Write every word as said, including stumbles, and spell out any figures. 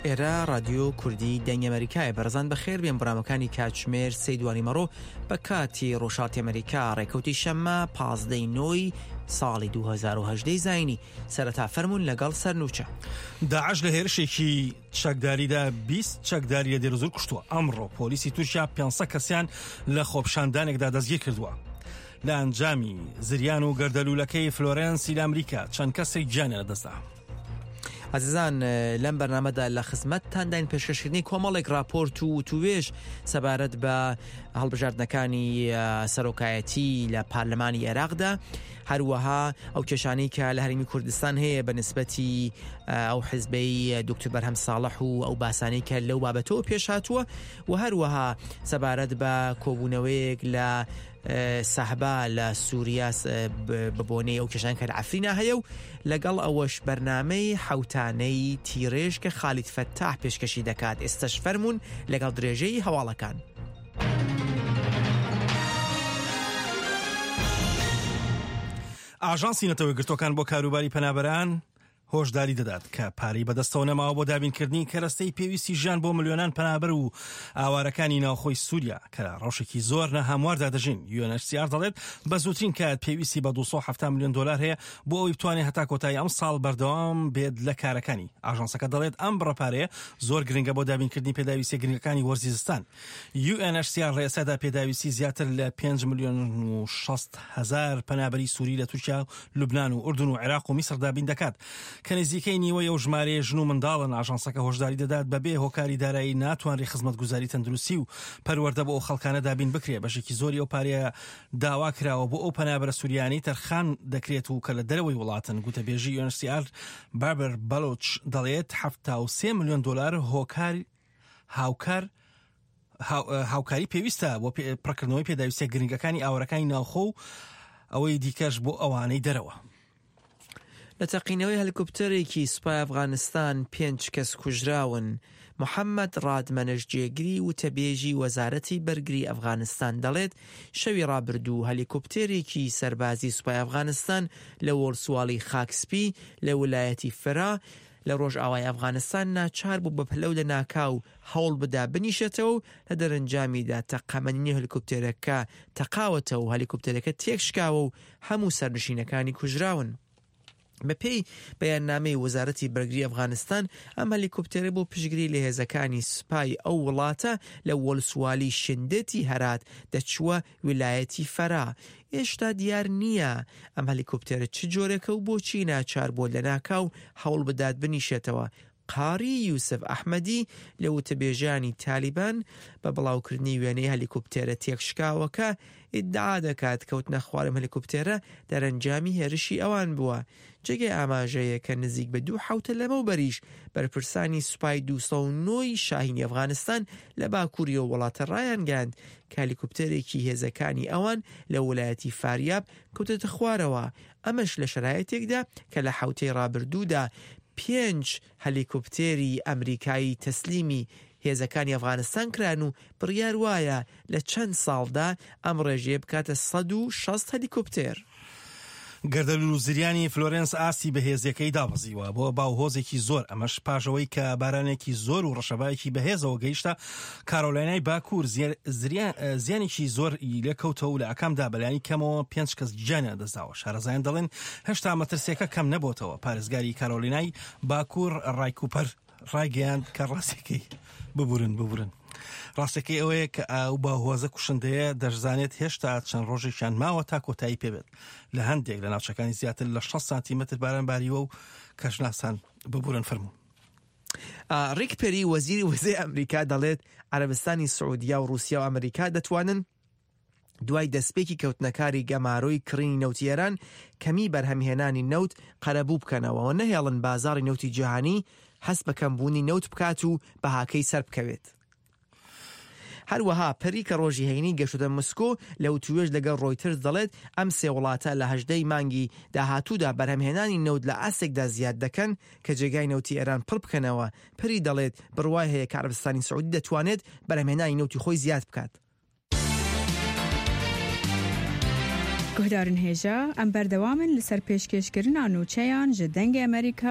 ئێرە ڕادیۆ کوردی دەنگی ئەمریکایە. بەڕێزان بەخێر بێن بەرنامەکانی کاتژمێر سێ دوانی مەڕۆ بە کاتی ڕۆژهەڵاتی ئەمریکا، ڕێکەوتی شەممە پازدەی نۆی ساڵی دوو هەزار و هەژدە زایینی. سەرەتا فەرمونون لەگەڵ سەرنوچە. داعش لە هێرشێکی چەکداریدا بیست چەکداری لە دێرزور کوشتووە. ئەمڕۆ پۆلیسی تورکیا پێنج سەد کەسیان لە خۆپیشاندانێکدا دەستگیر کردووە. لە ئەنجامی زریان و گەردەلوولەکەی فلۆرێنسی لە ئەمریکا چەند کەسێک گیانیان لەدەستدا. عزیزان لەم بەرنامەدا لە خزمەتتانداین پێشکەشکردنی کۆمەڵێک راپۆرت و وتوێژ سەبارەت بە هەڵبژاردنەکانی سەرۆکایەتی لە پەرلەمانی عێراقدا، هەروەها ئەو کێشانەی کە لە هەرێمی کوردستان هەیە بە نسبەتی ئەو حزبەی دکتۆر بەرهەم ساڵح و ئەو باسانەی کە لەو بابەتەوە پێش هاتووە، و هەروەها سەبارەت بە کۆبوونەوەیەک لە سەحبا لە سووریا بە بۆنەی ئەو کێشان کە لە عەفرینا هەیە، و لەگەڵ ئەوەش بەرنامەی حەوتانەی تیرێژ کە خالید فەتاح پێشکەشی دەکات. ئێستاش فەرمونون لەگەڵ درێژەی هەواڵەکان. ئاژانسی نەتەوەیەکگرتووەکان بۆ کاروباری پەنابەران هۆشداری دەدات کە پارەی بەدەستەوە نەماوە بۆ دابینکردنی کەرەستەی پێویستی ژیان بۆ ملیۆنان پەنابەر و ئاوارەکانی ناوخۆی سووریا کە لە ڕەوشێکی زۆر ناهەمواردا دەژین. U N H C R دەڵێت بە زووترین کات پێویستی بە دوو سەد و حەفتا ملیۆن دلار هەیە بۆ ئەوەی بتوانێت هەتا کۆتایی ئەم ساڵ بەردەوام بێت لە کارەکانی. ئاژانسەکە دەڵێت ئەم بڕە پارەیە زۆر گرنگە بۆ دابینکردنی پێداویستیە گرنگەکانی وەرزی زستان. U N H C R لە ئێستادا پێداویستی زیاتر لە پێنج ملیۆن و شەست هەزار پەنابەری سووری لە تورکیا و لوبناان و ئوردن و عێراق و میسر دابین دەکات کە نزیکەی نیوەی ئەو ژمارەیە ژن و منداڵن. ئاژانسەکە هۆشداری دەدات بەبێ هۆکاری دارایی ناتوانرێت خزمەتگوزاری تەندروستی و پەروەردە بۆ ئەو خەڵکانە دابین بکرێت. بەشێکی زۆری ئەو پارەیە داوا کراوە بۆ ئەو پەنابەرە سووریانەی تەرخان دەکرێت و کە لە دەرەوەی وڵاتن. گوتەبێژی U N H C R بابر بەلۆچ دەڵێت حەفتا و سێ ملیۆن دلار هۆکار هاوکار هاوکاری پێویستە بۆ پڕکردنەوەی پێداویستیە گرنگەکانی ئاوارەکانی ناوخۆ و ئەوەی دیکەش بۆ ئەوانەی دەرەوە. لە تەقینەوەی هەلیکۆپتەرێکی سوپای ئەفغانستان پێنج کەس کوژراون. محەممەد ڕادمەنش جێگری وتەبێژی وەزارەتی بەرگری ئەفغانستان دەڵێت شەوی ڕابردوو هەلیکۆپتەرێکی سەربازی سوپای ئەفغانستان لە وەرسواڵی خاکسپی لە ویلایەتی فرا لە ڕۆژئاوای ئەفغانستان ناچار بوو بە پەلەو لە ناکاو هەوڵ بدا بنیشێتەوە و لە دەرەنجامیدا تەقەمەنی هەلیکۆپتەرەکە تەقاوەتەوە و هەلیکۆپتەرەکە تێکشکاوە و هەموو سەرنشینەکانی کوژراون. بە پێی بەیاننامەی وەزارەتی بەرگری ئەفغانستان ئەم هەلیکۆپتەرە بۆ پشتگیری لە هێزەکانی سوپای ئەو وڵاتە لە وەلسوالی شندێتی هەرات دەچووە ویلایەتی فەرا. هێشتا دیار نییە ئەم هەلیکۆپتەرە چ جۆرێکە و بۆچی ناچار بووە لە ناکاو هەوڵ بدات بنیشێتەوە. قاری یوسف ئەحمەدی لە وتەبێژانی تالیبان بە بڵاوکردنی وێنەی هەلیکۆپتەرە تێکشکاوەکە ئیدعا دەکات کەوتنە خوارم هەلیکۆپتەرە دەرەنجامی هێرشی ئەوان بووە. جێگەی ئاماژەیە کە نزیک بە دوو حەوتە لەمەوبەریش بەرپرسانی سوپای دوو سەد و نۆی شاهینی ئەفغانستان لە باکووری ئەو وڵاتە ڕایانگەیاند کە هەلیکۆپتەرێکی هێزەکانی ئەوان لە ویلایەتی فاریاب کەوتەتە خوارەوە. ئەمەش لە شەرایەتێکدا کە لە حەوتەی ڕابردوودا پێنج هەلیکۆپتێری ئەمریکایی تەسلیمی هێزەکانی ئەفغانستان کران و بڕیار وایە لە چەند ساڵدا ئەم ڕێژەیە بکاتە سەد و شەست هەلیکۆپتێر. گەردەلوول و زریانی فلۆرێنس ئاستی بەهێزیەکەی دابەزیوە بۆ باوهۆزێکی زۆر، ئەمەش پاشەوەی کە بارانێکی زۆر و ڕەشەبایەکی بەهێزەوە گەیشتە کارۆلینای باکوور زیانێکی زۆر لێکەوتەوە و لە ئاکامدا بەلایەنی کەمەوە پێنج کەس گیانیان لەدەستداوە. شارەزایان دەڵێن هێشتا مەترسیەکە کەم نەبۆتەوە. پارێزگاری کارۆلینای باکوور ڕایکوپەر ڕایگەیاند کە ڕاستەکەی ببورن ببورن ڕاستەکەی ئەوەیە کە ئەو باوهۆزە کوشندەیە دەشزانێت هێشتا چەند ڕۆژێکیان ماوە تا کۆتایی پێبێت. لە هەندێک لە ناوچەکانی زیاتر لە شەست سانتیمەتر باران باریوە و کەشناسان ببورن فەرموو. ڕیک پێری وەزیری وزەی ئەمریکا دەڵێت عەرەبستانی سعودیا و ڕوسیا و ئەمریکا دەتوانن دوای دەستپێکی کەوتنەکاری گەمارۆی کڕینی نەوتی ئێران کەمی بەرهەمهێنانی نەوت قەرەبوو بکەنەوە و نەهێڵن بازاڕی نەوتی جیهانی هەست بە کەمبوونی نەوت بکات و بەهاکەی سەر بکەوێت. هەروەها پەری کە ڕۆژی هەینی گەشتە مسکۆ لە وتوێژ لەگەڵ ڕۆیتەرز دەڵێت ئەم سێ وڵاتە لە هەژدەی مانگی داهاتوودا بەرهەمهێنانی نەوت لە ئاستێکدا زیاد دەکەن کە جێگای نەوتی ئێران پڕ بکەنەوە. پەری دەڵێت بڕوای هەیە کە عەرەبستانی سعودی دەتوانێت بەرهەمهێنانی نەوتی خۆی زیاد بکات. گوهدارن هێژا ئەم بەردەوامن لەسەر پێشکێشکردنا نوچەیان ji دەنگê Amerîka.